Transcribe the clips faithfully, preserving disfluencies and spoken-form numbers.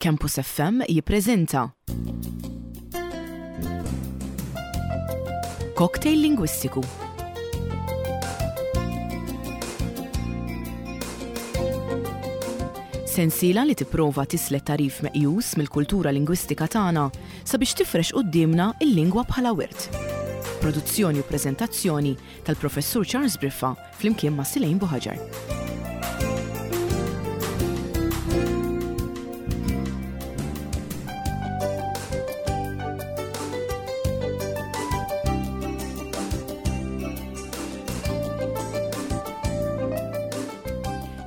Campus F M jippreżenta Cocktail Lingwistiku. Sensiela li tipprova tislet tagħrif meqjus mill-kultura lingwistika tagħna sabiex tifrex quddiemna il-lingwa bħala wirt. Produzzjoni u preżentazzjoni tal-Professur Charles Briffa flimkien ma' Silejn Buħaġar.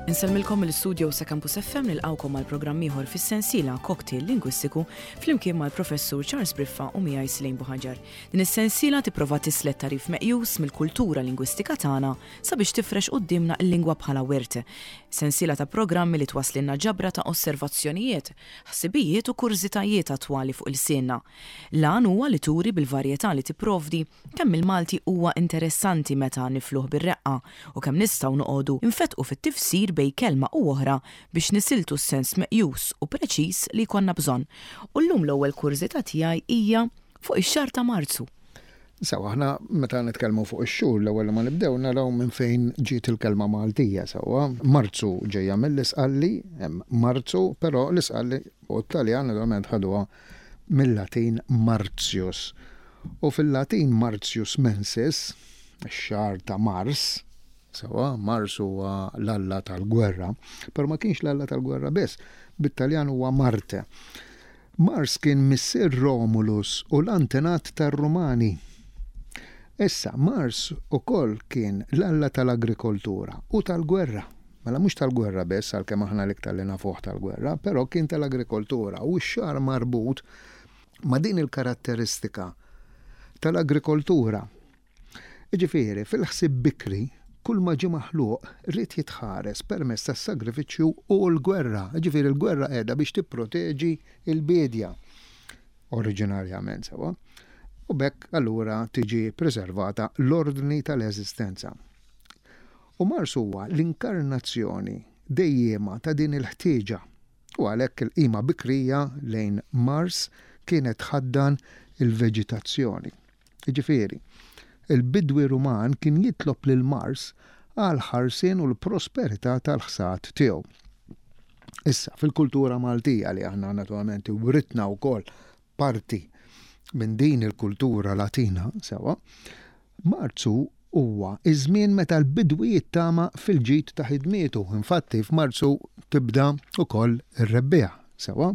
Insellmilkom mill-studio ta' Campus F M, nilqgħukom għal programm ieħor fis-sensiela Cocktail Lingwistiku flimkien mal-Professur Charles Briffa u miegħi Silejn Buħaġar. Din is-sensiela tipprova tislet tagħrif meqjus mill-kultura lingwistika tagħna sabiex tifrex quddiemna l-lingwa bħala wirt. Sensiela ta' programmi li twasslilna ġabra ta' osservazzjonijiet, ħsibijiet u kurżitajiet attwali fuq ilsienna. L-għan huwa li turi bil-varjetà li tipprovdi kemm il-Malti huwa interessanti meta nifluh bir-reqqa u kemm nistgħu noqogħdu nfetqu fit-tifsir bejn kelma u oħra biex nisiltu s-sens meqjus u preċiż li jkollna bżonn. U llum l-ewwel kurżità tiegħi hija fuq ix-xahar ta' Marzu. Sewa, aħna meta nitkellmu fuq ix-xhur, l-ewwel ma nibdew naraw minn fejn ġiet il-kelma Maltija sewwa. Marzu ġejja mill-Isqalli, hemm Marzu, però l-Isqalli u t-Taljan naturalment ħaduha mill-Latin Martius. U fil-Latin Martius mensis, ix-xahar ta' Mars, sewwa, Mars huwa l-alla tal-gwerra, però ma kienx l-alla tal-gwerra biss, bit-Taljan huwa Marte. Mars kien missier Romulus u l-antenat tar-Rumani. Issa, Mars ukoll kien l-alla tal-agrikoltura u tal-gwerra. Mela mhux tal-gwerra biss, għalkemm aħna l-iktar li nafuh tal-gwerra, però kien tal-agrikoltura u x-xahar marbut ma' din il-karatteristika tal-agrikoltura. Jiġifieri, fil-ħsieb bikri, kull ma ġie maħluq ried jitħares permezz tas-sagrifiċċju u l-gwerra. Jiġifieri l-gwerra qiegħda biex tipproteġi l-biedja oriġinarjament sewwa. U b'hekk allura tiġi preservata l-ordni tal-eżistenza. U Mars huwa l-inkarnazzjoni dejjema ta' din il-ħtieġa. U għalhekk il-qima bikrija lejn Mars kienet tħaddan il-veġitazzjoni. Jiġifieri, il-bidwi Ruman kien jitlob lil Mars għal ħarsien u l-prosperità tal-ħsad tiegħu. Issa, fil-kultura Maltija li aħna naturalment writna wkoll parti minn din il-kultura Latina, sewa, Marzu huwa iż-żmien meta l-bidwi jittama fil-ġid ta' ħidmietu. Infatti f'Marzu tibda wkoll ir-rebbiegħa, sewa,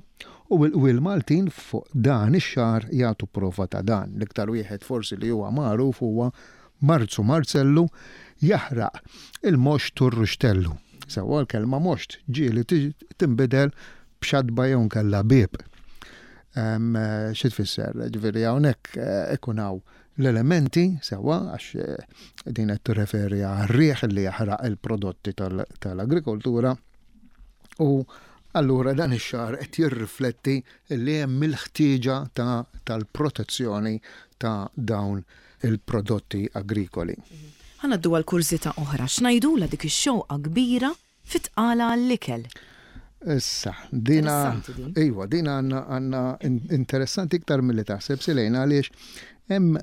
u l-qwiel Maltin fuq dan ix-xahar jagħtu prova ta' dan. L-iktar wieħed forsi li huwa magħruf huwa Marzu Marzellu jaħraq il-moxt u r-ruxtellu. Sewa, l-kelma moxt ġieli tinbidel b'xatba jew nkella bieb. Xi tfisser? Ġifieri hawnhekk ikun hawn l-elementi sewwa, għax din qed tirreferi għar-riħ li jaħraq il-prodotti tal-agrikoltura, u allura dan ix-xahar qed jirrifletti li hemm il-ħtieġa tal-protezzjoni ta' dawn il-prodotti agrikoli. Ħa ngħaddu għal kurżità oħra, x'ngħidulha dik ix-xewqa kbira fit-tqala għall-ikel? Issa, dina, Interessanti din. Iva, dina għandna, għandna interessanti iktar milli taħseb Silejna, għaliex hemm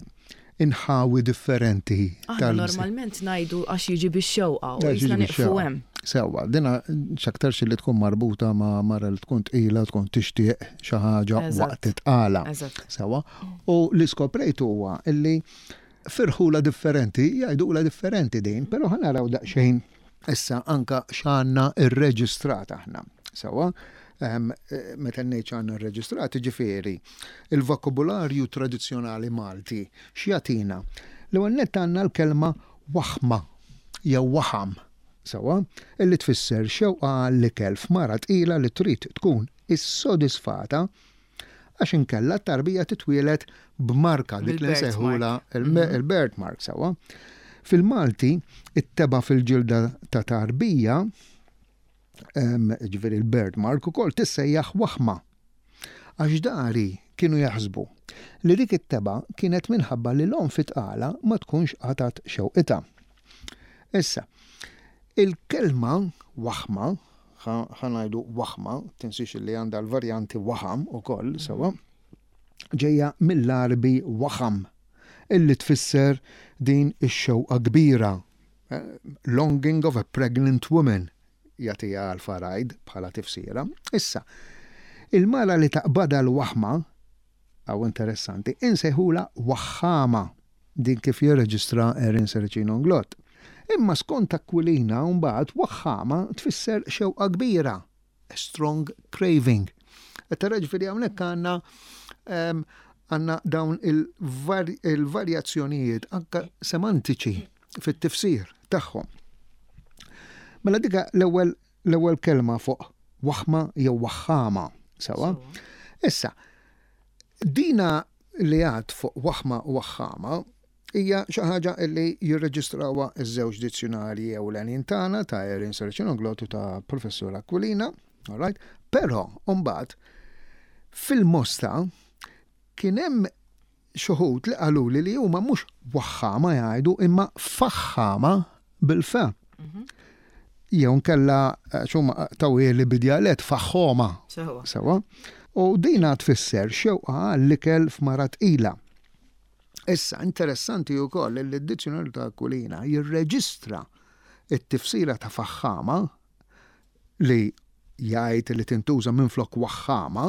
inħawi differenti Aħna tal- normalment ngħidu għax jiġi bix-xewqa u Għax jiġi jisna nieqfu bix-xewqa. hemm. Sewwa, dina x'aktarx li tkun marbuta ma' mara li tkun tqila, tkun tixtieq xi ħaġa Eżatt. waqt it-tqala. Eżatt. Sewwa, u li skoprejt huwa illi firħula differenti, jgħidula differenti din, però ħa naraw daqsxejn issa anka x'għandna rreġistrat aħna. Sewwa, ehm, meta ngħid x'għandna rreġistrat, ġifieri, il-vokabularju tradizzjonali Malti x'jagħtina? L-ewwel nett għandna l-kelma waħma jew waħam, sewwa, illi tfisser xewqa għall-ikel f'mara tqila li trid tkun issodisfata għax inkella t-tarbija titwielet b'marka dik li Bil-birth nsejħula mark. il-me-, il-birth mark, sewwa. Fil-Malti, it-teba fil-ġilda ta' tarbija, em, ġifieri il-birth mark ukoll tissejjaħ waħma. Għax dari kienu jaħsbu li dik it-teba kienet minħabba li l-omm fit-tqala ma tkunx qatat xewqitha. Issa, il-kelma waħma, ħa ngħidu waħma, tinsiex li għandha l-varjanti waħam ukoll, sewwa, ġejja mill-Għarbi waħam, illi tfisser din ix-xewqa kbira. Longing of a pregnant woman, jagħtiha Alpha Ryde bħala tifsira. Issa, il-mara li taqbadha l-waħma, għaw interessanti, insejħula waħħama, din kif jirreġistra Erin Serracino Inglott. Imma skont Aquilina mbagħad waħħama tfisser xewqa kbira, a strong craving. Tara, ġifieri hawnhekk għandna għandna dawn il-varjazzjonijiet anka semantiċi fit-tifsir tagħhom. Mela dika l-ewwel l-ewwel kelma fuq waħma jew waħħama, sewwa. Issa, dina li għad fuq waħma u waħħama hija xi ħaġa li jirreġistrawha iż-żewġ dizzjonarji ewlenin tagħna, ta' Erin Serracino Inglott u ta' Professur Aquilina, all right? Però mbagħad fil-Mosta kien hemm xi wħud li qaluli li huma mhux waħħama jgħidu imma faħħama bil-fa. Jew nkella x'huma tawili bidjalet faħħoma. Sewwa. U dina tfisser xewqa għall-ikel f'mara tqila. Issa, interessanti wkoll li d-dizzjonarju ta' Aquilina jirreġistra it-tifsira ta' faħħama li jgħid li tintuża minn flok waħħama,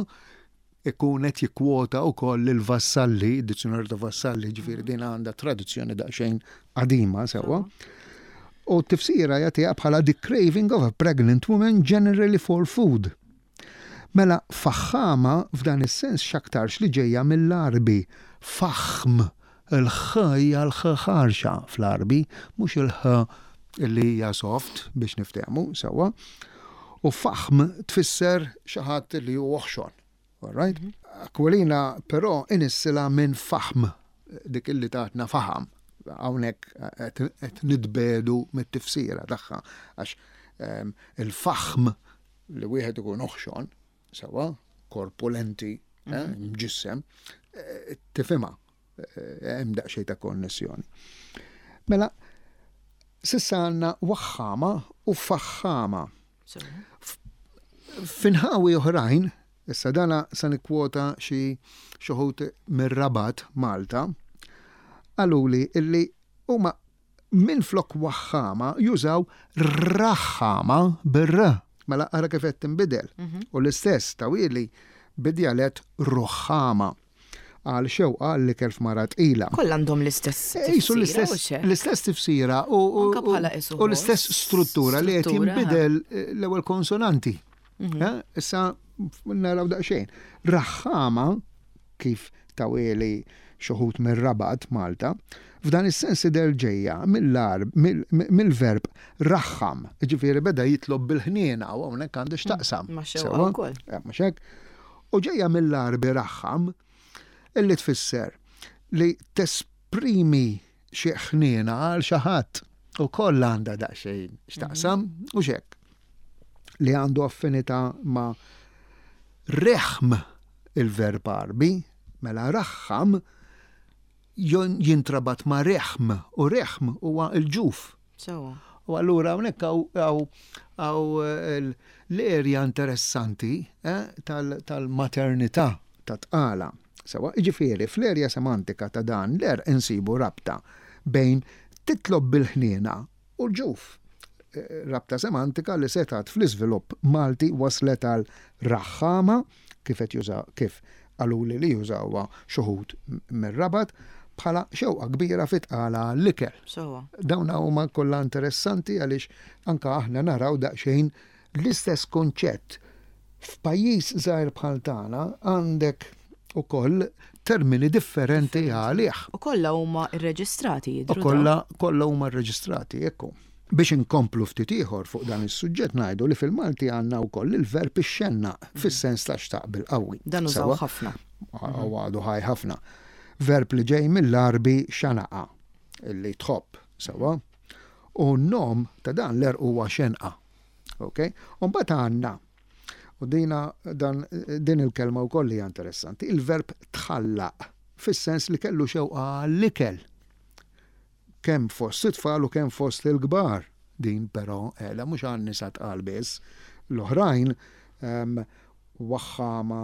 ikun qed jikkwota wkoll il-Vassalli, id-dizzjonarju ta' Vassalli, ġifieri din għandha tradizzjoni daqsxejn qadima, sewwa. U t-tifsira jagħtiha bħala the craving of a pregnant woman generally for food. Mela faħħama f'dan is-sens x'aktarx li ġejja mill-Għarbi faħm, il-ħ hija l-ħ ħarxa fl-Għarbi, mhux il-ħ li hija soft biex niftehmu sewwa. U faħm tfisser xi ħadd li hu oħxon. All right? Aquilina però inissila minn faħm, dik illi tatna faħam. Hawnhekk qed nitbedu mit-tifsira tagħha għax ehm, il-faħm li wieħed ikun oħxon, sewwa, korpulenti, eh, mġissem, eh, tifhimha, eh, hemm daqsxejn ta' konnessjoni. Mela, s'issa għandna waħħama u faħħama. F'inħawi oħrajn, issa dana sa nikkwota xi wħud mir-Rabat Malta, qaluli illi huma minn flok waħħama jużaw raħħama bir-r. Mela ara kif qed tinbidel. U l-istess tawili bidjalet ruħħama għal xewqa li kelf mara tqila. Kollha għandhom l-istess Jisu tifsira, l-istess u xek? L-istess tifsira u, u, Anka bħala isu u l-istess ħoss, struttura li qed struttura, jinbidel eh, l-ewwel konsonanti. Eh, Issa naraw daqsxejn. Raħħama, kif taweli xi wħud mir-Rabat Malta, f'dan is-sens idher ġejja mill-Għarb mill-verb raħħam, ġifieri beda jitlob bil-ħniena u hawnhekk għandu x'taqsam. Ma' xewqa Sewwa? wkoll. Eh, mhux hekk? U ġejja mill-Għarbi raħħam, illi tfisser li tesprimi xi ħniena għal xi ħadd u koll għandha daqsxejn x'taqsam u xek li għandu affinità ma' reħm, il-verb Għarbi, mela raħħam jintrabat ma' reħm u reħm huwa il-ġuf. Sewwa. U allura hawnhekk hawn l-erja interessanti eh, tal-maternità, ta' tqala. Sewwa, ġifieri, fl-erja semantika ta' dan l-er insibu rabta bejn titlob bil-ħniena u l-ġuf. Eh, rabta semantika li setat fl-iżvilupp Malti waslet għal raħħama kif qed juża, kif qaluli li jużawha xi wħud mir-Rabat bħala xewqa kbira fit-tqala l-ikel. Sewwa. Dawn huma kollha interessanti għaliex anka aħna naraw daqsxejn l-istess konċett. F'pajjiż żgħir bħal tagħna għandek ukoll termini differenti għalih. U kollha huma rreġistrati U jidhru. kollha kollha huma rreġistrati, ekku. Biex inkomplu ftit ieħor fuq dan is-suġġett, ngħidu li fil-Malti għandna wkoll il-verb ixxennaq fis-sens ta' xtaq bil-qawwi. Dan użaw Sewwa? ħafna. U għadu ħaj ħafna. Verb li ġej mill-Għarbi xanaqa, illi tħobb, sewwa. U n-nom ta' dan l huwa xenqa. Ok? U mbagħad għandna, u dina dan din il-kelma wkoll hija interessanti, il-verb tħallaq fis-sens li kellu xewqa għall-ikel. Kemm fost it-tfal u kemm fost il-kbar. Din però qiegħda mhux għan nisa tqal biss, L-oħrajn, waħħama,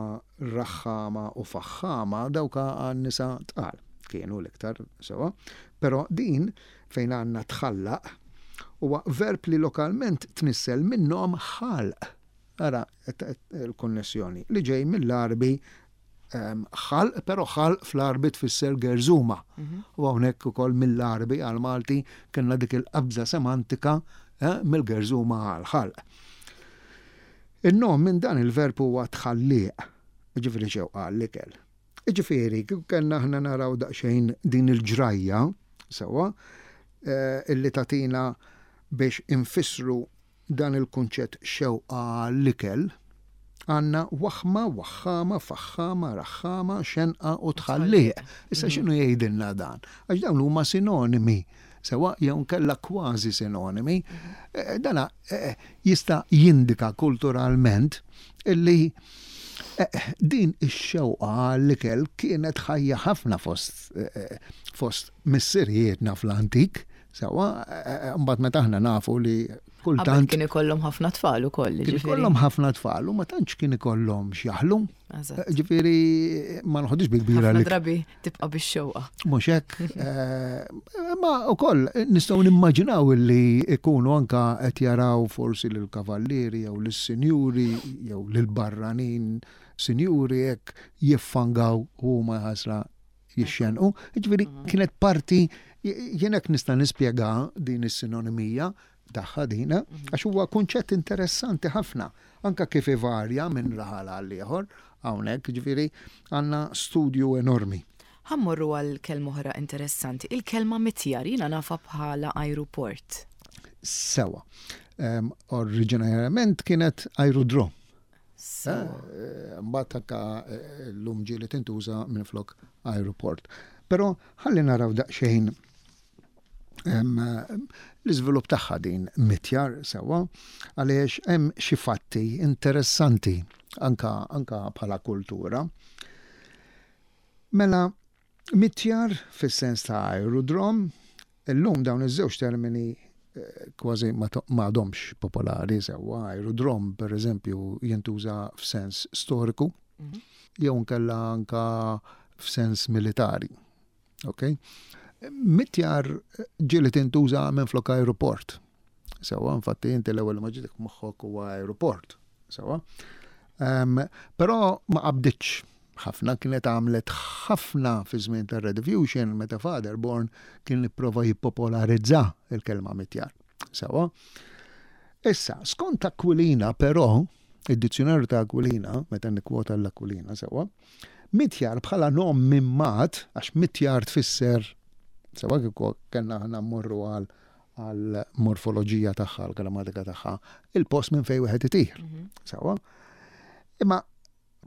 raħħama u faħħama, dawka għan-nisa tqal kienu l-iktar sewa. Però din fejn għandna tħallaq huwa verb li lokalment tnissel minnhom ħalq. Ara il-konnessjoni li ġej mill-Għarbi ħalq, però ħalq fl-Għarbi tfisser gerżuma. Mhm. U hawnhekk ukoll mill-Għarbi għal-Malti kellna dik il-qabża semantika eh, mill-gerżuma għal ħalq. Il-nom minn dan il-verb huwa tħalliq, ġifieri xewqa l-ikel. Ġifieri, kieku kellna aħna naraw daqsxejn din il-ġrajja, sewa, eh, illi tatina biex infissru dan il-kunċett xewqa l-ikel, għandna waħma, waħħama, faħħama, raħħama, xenqa u tħalliq. Issa mhm. x'inhu jgħidilna dan? Għax dawn huma sinonimi, sewa jew kella kważi sinonimi. Mhm. Eh, dana eh, jista' jindika kulturalment illi eh, din ix-xewqa għall-ikel kienet ħajja ħafna fost fost missirijietna fl-antik. Sewa, mbagħad meta aħna nafu li kultant kien ikollhom ħafna tfal ukoll. Kien ikollhom ħafna tfal u ma tantx kien ikollhom x'jaħlu. Ġifieri ma nħodix bi kbira li. Drabi tibqa' bix-xewqa. Mhux hekk. Eh, ma wkoll nistgħu nimmaġinaw li ikunu anka qed jaraw forsi lill-kavallieri jew lis-sinjuri jew lill-barranin sinjuri hekk jiffangaw huma ħasra jixxenqu. Ġifieri mhm. kienet parti, jien hekk nista' nispjega din is-sinonimija tagħha dina, mhm. għax huwa kunċett interessanti ħafna, anka kif ivarja minn raħal għal ieħor, hawnhekk ġifieri għandna studju enormi. Ħa mmorru għal kelma oħra interessanti, il-kelma mitjar jiena nafha bħala ajruport. Sewa. Um, oriġinarjament kienet aerodrom. Eh, mbagħad anka eh, llum ġieli tintuża minflok aeroport. Però ħalli naraw daqsxejn l-iżvilupp tagħha din mitjar sewa għaliex hemm xi fatti interessanti anka anka bħala kultura. Mela mitjar fis-sens ta' aerodrom, illum dawn iż-żewġ termini eh, kważi ma għadhomx popolari sewwa. Aerodrom, per eżempju, jintuża f'sens storiku, mhm. jew nkella anka f'sens militari. Ok? Mitjar ġieli tintuża minn flok aeroport. Sewa, infatti inti l-ewwel ma ġitek moħħok huwa aeroport. Sewa. Um, però ma qabditx ħafna, kienet għamlet ħafna fi żmien tar-Rediffusion meta Father Born kien ipprova jippopolarizza il-kelma mitjar. Sewa. Issa, skont Aquilina però, id-dizzjonarju ta' Aquilina, meta nikkwota l-Aquilina sewa, mitjar bħala nom mimmat, għax mitjar tfisser, sewa kieku kellna aħna mmorru għal għal morfoloġija tagħha, għal grammatika tagħha, il-post minn fejn wieħed itir. Mhm. Sewa. Imma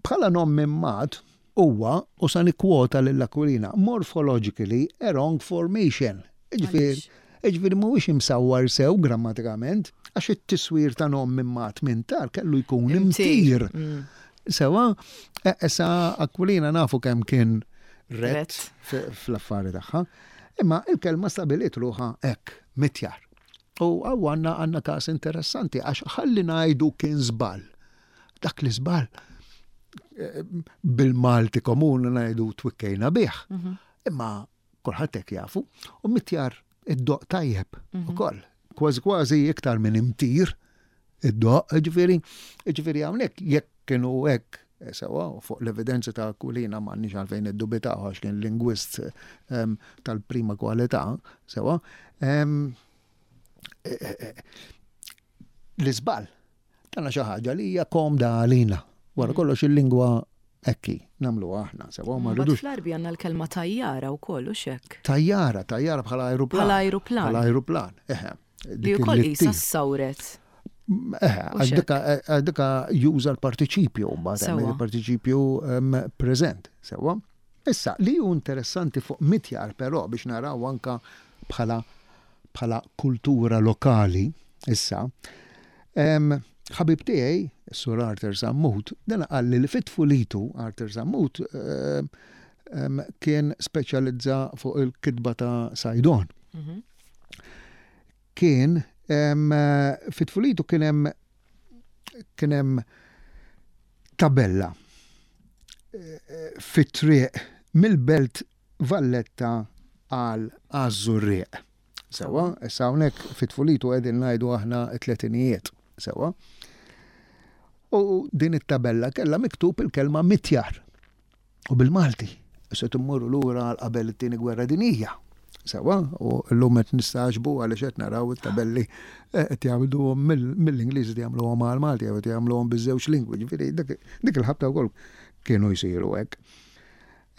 bħala nom mimmat huwa, u sa nikkwota lil Aquilina, morphologically a wrong formation. Ġifieri, ġifieri mhuwiex imsawwar sew grammatikament, għax it-tiswir ta' nom mimmat minn tar kellu jkun imtir. Mm. Sewa, e, issa Aquilina nafu kemm kien rett fl-affari tagħha, imma il-kelma stabiliet ruħha hekk, mitjar. U hawn għandna għandna każ interessanti għax ħalli ngħidu kien żball. Dak li żball e, bil-Malti komuni ngħidu twikkejna bih. Mhm. Imma kulħadd hekk jafu u mitjar id-doq tajjeb mhm. ukoll. Kważi kważi iktar minn imtir id-doq, ġifieri, ġifieri hawnhekk jekk kienu hekk eh, sewa fuq l-evidenza ta' Aquilina m'għandniex għalfejn iddubitaw għax kien lingwist ehm, tal-prima kwalità, sewa. Ehm, eh, eh, l-iżball tana xi ħaġa li hija komda għalina. Wara mm. kollox il-lingwa ekki nagħmlu aħna, sewa ma rridux. Fl-Għarbi għandna l-kelma tajjara wkoll u xek. Tajjara, tajjara bħala ajruplan. Bħala ajruplan. Bħala ajruplan, eħe. Li wkoll qisha ssawret. Eħe, għax dika juża l-partiċipju mbagħad hemm il-partiċipju preżent, sewwa. Issa, li hu interessanti fuq mitjar però biex naraw anka bħala bħala kultura lokali, issa, ħabib tiegħi, Sur Arthur Sammut, dan qalli li fit-tfulitu Arthur Sammut kien speċjalizza fuq il-kitba ta' Saydon. Mhm. Kien fit-tfulitu kien hemm kien hemm tabella eh, fit-triq mill-Belt Valletta għal Għaż-Żurrieq. Sewwa, issa hawnhekk fit-tfulitu qegħdin ngħidu aħna t-tletinijiet. Sewwa. U din it-tabella kellha miktub il-kelma mitjar. U bil-Malti. Issa timmorru lura għal qabel it-tieni gwerra dinjija. Sewwa, u llum qed nistagħġbu għaliex qed naraw it-tabelli eh, qed jagħmluhom mill-Ingliż, qed jagħmluhom għal-Malti jew qed jagħmluhom biż-żewġ lingwi. Ġifieri dik il-ħabta wkoll kienu jsiru hekk.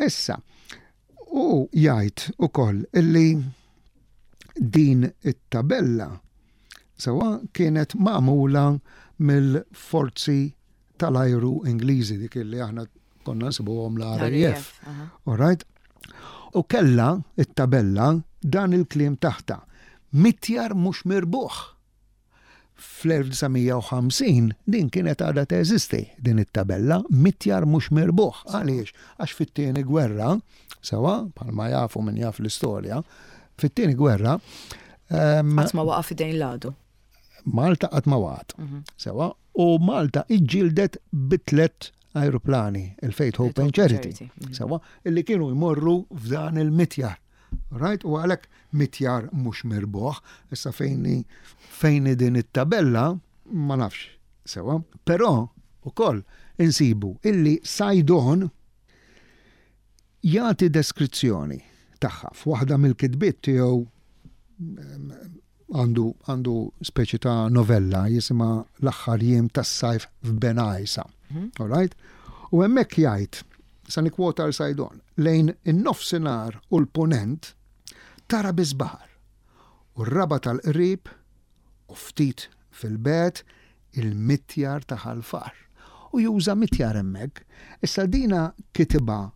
Issa, u jgħid ukoll illi din it-tabella sewwa kienet magħmula mill-forzi tal-ajru Ingliżi, dik illi aħna konna nsibuhom l-R A F. All right? U kella it-tabella dan il-kliem taħta: "Mitjar mhux mirbuħ." Fl-elf disa' mija u ħamsin din kienet għadha teżisti din it-tabella "mitjar mhux mirbuħ". Għaliex? Għax fit-tieni gwerra, sewwa, bħalma jafu min jaf l-istorja, fit-tieni gwerra Qatt ma waqa' f'idejn l-għadu. Malta qatt ma waqgħet. Sewwa, u Malta iġġieldet bi tliet aeroplani, il-Faith, Hope and Charity. Mhm. Sewwa, illi kienu jmorru f'dan il-mitjar. Right? U għalhekk "mitjar mhux mirbuħ", issa fejni fejni din it-tabella ma nafx. Sewwa, però ukoll insibu illi Saydon jagħti deskrizzjoni tagħha f'waħda mill-kitbiet tiegħu. għandu għandu speċi ta' novella jisimha "L-aħħar jiem tas-sajf f'Bengħajsa". Mhm. All right? U hemmhekk jgħid, sa nikkwota l Saydon, "Lejn in-nofsinhar u l-punent tara biss baħar u r-raba tal-qrib u ftit fil-bogħod il-mitjar ta' Ħal Far." U juża mitjar hemmhekk. Issa dina kitibha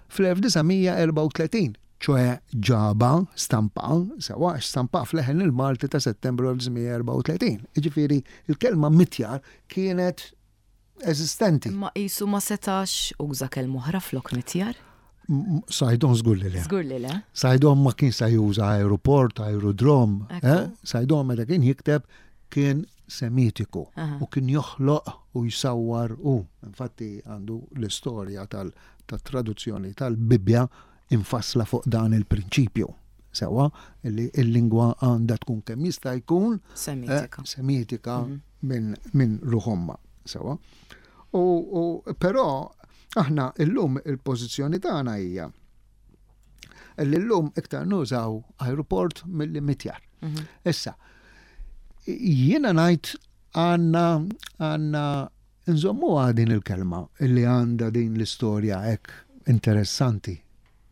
fl-elf disa' mija erbgħa u tletin, ċoè ġaba stampa, sewwa, stampa f'Leħen il-Malti ta' Settembru elf disa' mija erbgħa u tletin. Iġifieri, il-kelma mitjar kienet eżistenti. Ma qisu ma setax uża kelma oħra flok mitjar? Saydon żgur li le. Żgur li le. Saydon ma kien sa juża aeroport, aerodrom. Eh? Saydon meta kien jikteb kien semitiku u kien joħloq u jsawwar u infatti għandu l-istorja tal-traduzzjoni tal-Bibja infassla fuq dan il-prinċipju. Sewwa, li il-lingwa għandha tkun kemm jista' jkun semitika, eh, semitika mhm. minn min ruħ ommha. Sewwa. U, u però aħna illum il-pożizzjoni tagħna hija li llum iktar nużaw aeroport milli mitjar. Mhm. Issa, jiena ngħid għandna għandna nżommu din il-kelma illi għandha din l-istorja hekk interessanti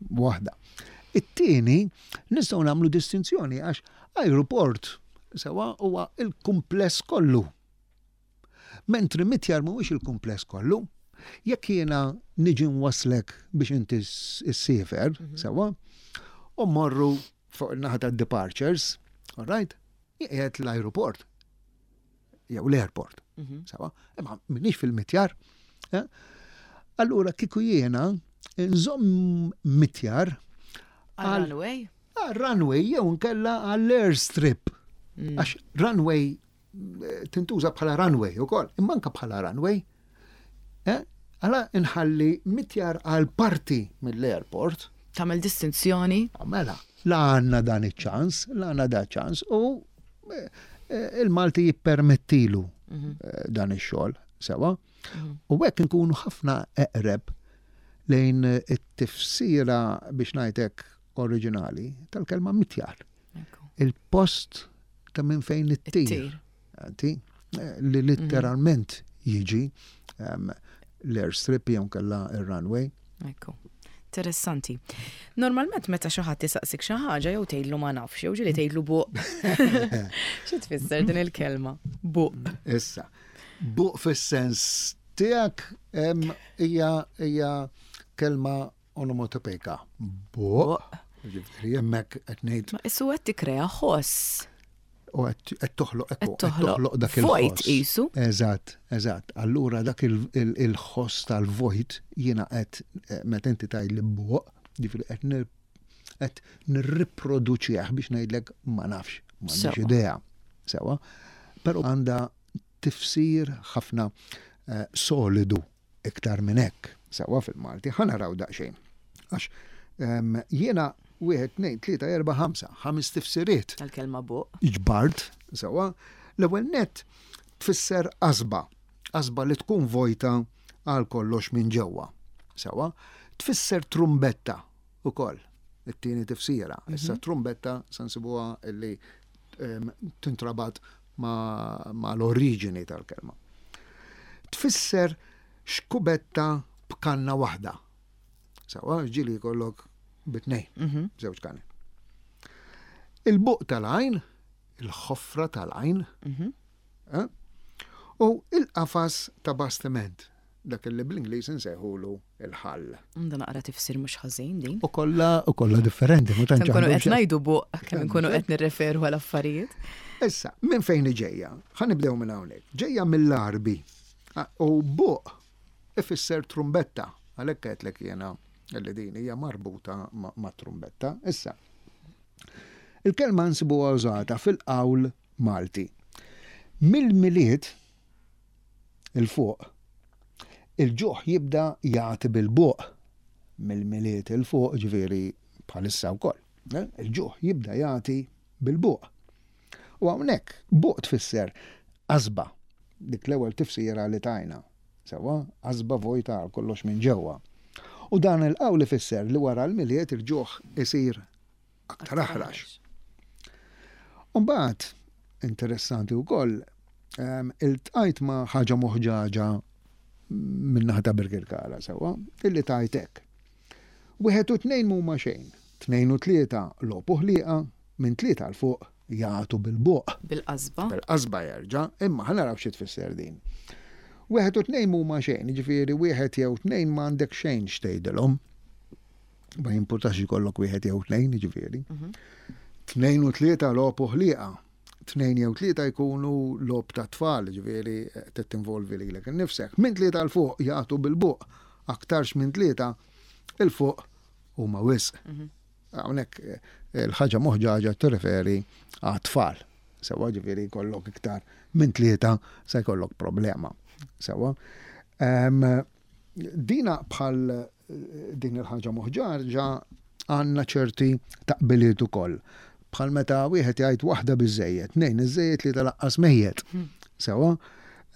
waħda. It-tieni, nistgħu nagħmlu distinzjoni għax aeroport sewwa huwa il-kumpless kollu. Mentri mitjar mhuwiex il-kumpless kollu. Jekk jiena niġi nwaslek biex inti ssiefer, mhm. sewwa, u morru fuq il-naħa ta' departures, all right, qiegħed l-aeroport jew l-airport. Mhm. Sewwa, imma minix fil-mitjar. Eh? Allura kieku jiena nżomm mitjar għal-runway? Għal-runway jew nkella għall-airstrip. Mm. Għax runway eh, tintuża bħala runway ukoll, imma anke bħala runway. Eh? Għala nħalli mitjar għal parti mill-airport. Tagħmel distinzjoni? Mela, la għandna dan iċ-ċans, la għandna da ċans u eh, il-Malti jippermettilu mhm. dan ix-xogħol, sewwa. Mhm. U hekk nkunu ħafna eqreb lejn it-tifsira, biex ngħidlek, oriġinali tal-kelma mitjar. Il-post ta' minn fejn it-tir. Li litteralment jiġi l-airstrip jew kella il-runway. Ekku. Interessanti. Normalment meta xi ħadd isaqsik xi ħaġa jew tgħidlu "ma nafx" jew ġieli tgħidlu "buq". Xi tfisser din il-kelma? Buq. Issa, buq fis-sens tiegħek hija hija kelma onomatopejka. Buq. Ġifieri hemmhekk qed ngħid. Ma issu qed tikkrea ħoss. U qed toħloq, ekku, qed toħloq dak il-ħoss. Qisu. Eżatt, eżatt. Allura dak il-ħoss tal-vojt jiena qed eh, meta inti tgħid li buq, ġifieri qed qed nirriproduċih biex ngħidlek ma nafx, m'għandix idea. Sewwa. Però għandha tifsir ħafna eh, solidu iktar minn hekk. Sewwa fil-Malti, ħa naraw daqsxejn. Għax ehm, jiena wieħed, tnejn, tlieta, erba', ħamsa, ħames tifsiriet. Tal-kelma buq. Ġbart, sewwa, l-ewwel nett tfisser qasba, qasba li tkun vojta għal kollox minn ġewwa. Sewwa, tfisser trumbetta ukoll, it-tieni tifsira. Issa trumbetta se nsibuha illi em, tintrabat ma, ma l-oriġini tal-kelma. Tfisser xkubetta b'kanna waħda. Sewwa, ġieli jkollok bit-tnejn, Mhm. żewġ kanni. Il-buq tal-għajn, il-ħofra tal-għajn, Mhm. eh? u il-qafas ta' bastiment, dak li bl-Ingliż insejħulu il-hull. Għandha naqra tifsir mhux ħażin din. U kollha u kollha differenti, ma tantx Kemm nkunu għandhom qed xi- ngħidu buq, kemm nkunu qed nirreferu għal affarijiet. Issa, minn fejn ġejja? Ħa nibdew minn hawnhekk. Ġejja mill-Arbi. Ah, U buq ifisser trumbetta. Għalhekk għedtlek jiena li din hija marbuta ma' ma' trumbetta. Issa, il-kelma nsibuha użata fil-qawl Malti. Mill-Milied 'il fuq, il-ġuħ jibda jagħti bil-buq. Mill-Milied 'il fuq, ġifieri bħalissa wkoll. eh? Il-ġuħ jibda jagħti bil-buq. U hawnhekk buq tfisser qasba, dik l-ewwel tifsira li tajna. Sewwa, qasba vojta għal kollox minn ġewwa. U dan il-qawl ifisser li wara l-Milied il-ġuħ isir aktar aħrax. Umbagħad, interessanti wkoll, em, iltqajt ma' ħaġa moħġaġa min-naħa ta' Birkirkara sewwa, illi tgħid hekk. Wieħed u tnejn mhuma xejn, tnejn u tlieta logħob u ħlieqa, minn tlieta 'l fuq jagħtu bil-buq. Bil-qasba. Bil-qasba jerġa', imma ħa naraw xi tfisser din. Wieħed u tnejn mhuma xejn, jiġifieri wieħed jew tnejn ma għandek xejn x'tgħidilhom. Ma jimpurtax ikollok wieħed jew tnejn, jiġifieri. Tnejn u tlieta logħob u ħlieqa. Tnejn jew tlieta jkunu logħob ta' tfal, jiġifieri qed tinvolvi lilek innifsek. Minn tlieta 'l fuq jagħtu bil-buq, aktarx minn tlieta 'il fuq huma wisq. Hawnhekk eh, il-ħaġa moħġaġa tirreferi għat-tfal. Sewwa ġifieri jkollok iktar minn tlieta se jkollok problema. Sewwa. Em, Dina bħal eh, din il-ħaġa moħġaġa għandna ċerti taqbiliet ukoll. Bħal meta wieħed jgħid waħda biżejjed, tnejn iżejjed li talaqqas mejjet. Sewwa.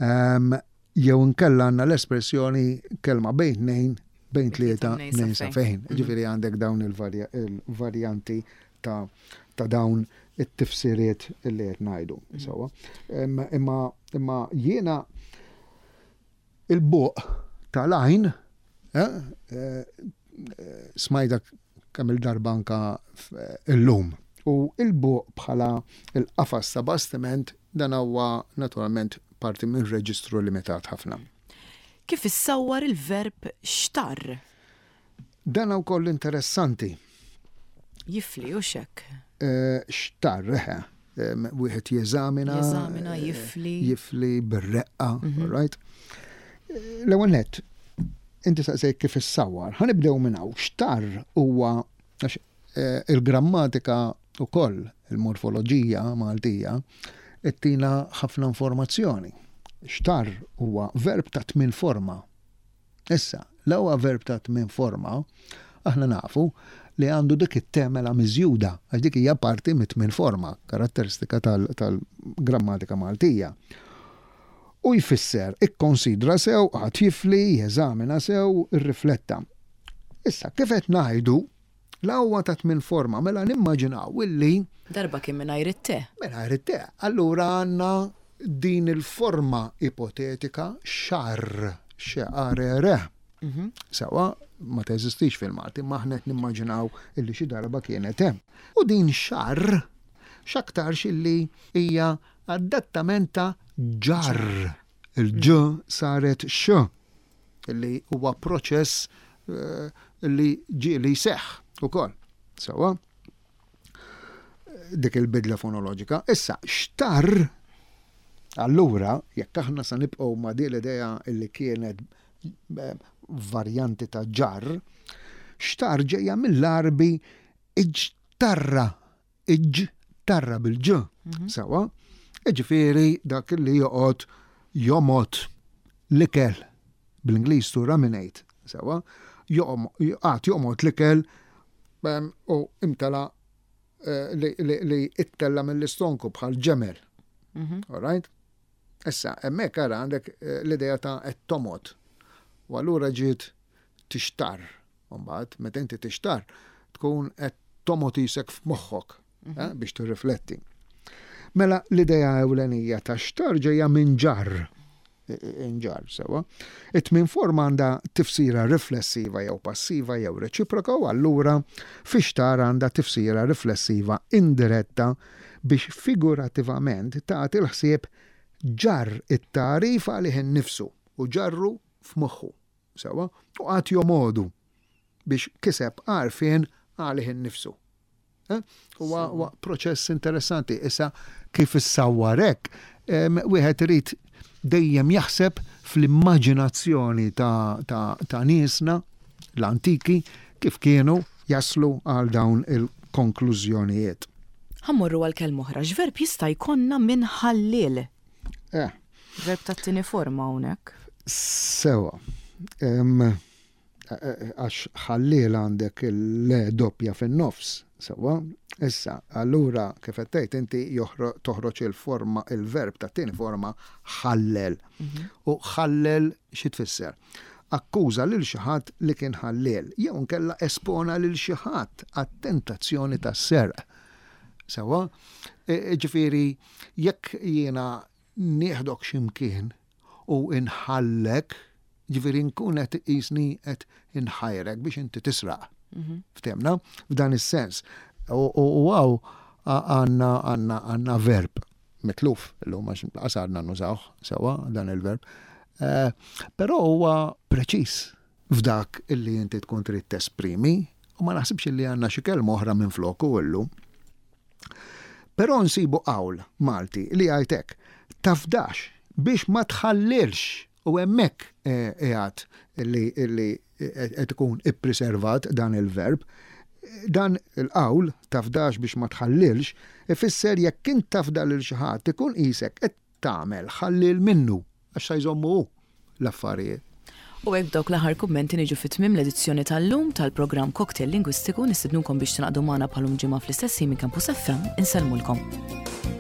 Em, Jew inkella għandna l-espressjoni kelma bejn tnejn, bejn tlieta, Tnejn sa tnejn sa fejn. fejn. Ġifieri għandek dawn il-varjanti ta' ta' dawn it-tifsiriet li qed ngħidu. Sewwa. Imma imma jiena il-buq tal-għajn eh, eh, smajta kemm il-darba anka f- illum. U il-buq bħala il-qafas ta' bastiment dan huwa naturalment parti minn reġistru limitat ħafna. Kif issawwar il-verb xtarr? Dan wkoll interessanti. Jifli u xek. Eh, Xtarr, eħe, em, wieħed jeżamina. Jeżamina, eh, jifli. Jifli bir-reqqa, all right? Eh, L-ewwel nett, inti saqsejt kif issawwar. Ħa nibdew minn hawn. Xtarr huwa għax eh, il-grammatika ukoll il-morfoloġija Maltija ittina ħafna informazzjoni. Xtarr huwa verb ta' tmien forma. Issa, l-ewwel verb ta' tmien forma, aħna nafu li għandu dik it-temela miżjuda, għax dik hija parti mit-tmien forma, karatteristika tal- tal-grammatika Maltija. U jfisser, ikkonsidra sew, għad jifli, jeżamina sew, irrifletta. Issa, kif qed ngħidu, l-ewwel ta' tmien forma, mela nimmaġinaw illi Darba kien mingħajr it-te. mingħajr it-te. Allura għandna din il-forma ipotetika xarr, xeqarere. Sewwa, ma teżistix fil-Malti, ma aħna qed nimmaġinaw illi xi darba kienet hemm. U din xarr, x'aktarx illi hija adattament ta' ġarr. Il-ġ saret x, illi huwa proċess eh, li ġieli jseħħ ukoll. Sewwa, dik il-bidla fonoloġika. Issa, xtarr, allura, jekk aħna sa nibqgħu ma' din l-idea illi kienet eh, varjanti ta' ġarr, xtarr ġejja mill-Arbi iġtarra, iġtarra bil-ġ, sewwa, ġifieri dak li joqgħod Jomgħod l-ikel, bl-Ingliż to ruminate, sewwa, qagħad jomgħod l-ikel u imtela eh, li ittella mill-istonku bħal ġemel. Mhm. All right? Issa, hemmhekk ara għandek eh, l-idea ta' qed tomgħod. U allura ġiet tixtar. Mbagħad, meta inti tixtar, tkun qed tomgħod isek f'moħħok mhm. eh, biex tirrifletti. Mela l-idea ewlenija ta' xtar ġejja minn ġarr inġarr sewwa. It-tmien forma għandha tifsira riflessiva jew passiva jew reċiproka u allura fixtar għandha tifsira riflessiva indiretta biex figurativament tagħti l-ħsieb ġarr it-tagħrif għalih innifsu u ġarru f'moħħu. Sewwa, u qagħad jomogħdu biex kiseb għarfien għalih innifsu. Eh? Huwa proċess interessanti. Issa kif issawwar hekk, wieħed irid dejjem jaħseb fl-immaġinazzjoni ta', ta, ta niesna l-antiki kif kienu jaslu għal dawn il-konklużjonijiet. Ħa mmorru għal kelma oħra, x'verb jista' jkollna minn ħalliel? Eh. Verb tat-tieni forma hawnhekk. Sewwa. Għax ħalliel għandek il-le doppja fin-nofs, sewwa. Issa, allura kif qed tgħid inti toħroġ il-forma il-verb ta' tieni forma ħallel. Mhm. U ħallel xi tfisser? Akkuża lil xi ħadd li kien ħalliel, jew nkella espona lil xi ħadd għat-tentazzjoni tas-serq. Sewwa, e, e, ġifieri jekk jiena nieħdok x'imkien u inħallek, ġifieri nkun qed qisni qed inħajrek biex inti tisraq. Mhm. Ftehmna? F'dan is-sens. U hawn għandna għandna għandna verb mitluf, illum għax qasarna nużawh sewwa dan il-verb. Eh, però huwa preċiż f'dak illi inti tkun trid tesprimi u ma naħsibx illi għandna xi kelma oħra minn floku illum. Però nsibu qawl Malti li jgħid hekk, tafdax biex ma tħallilx u hemmhekk eh, qiegħed li illi qed ikun ippreservat dan il-verb. Dan il-qawl tafdax biex ma tħallilx ifisser jekk int tafda lil xi ħadd ikun qisek qed tagħmel ħallil minnu għax sa jżommu hu l-affarijiet. U hekk dawk l-aħħar kummenti niġu fi tmiem l-edizzjoni tal-lum tal-programm Cocktail Lingwistiku. Nistednukom biex tingħaqdu magħna bħal-lum ġimgħa fl-istess minn Campus F M. Insellmulkom.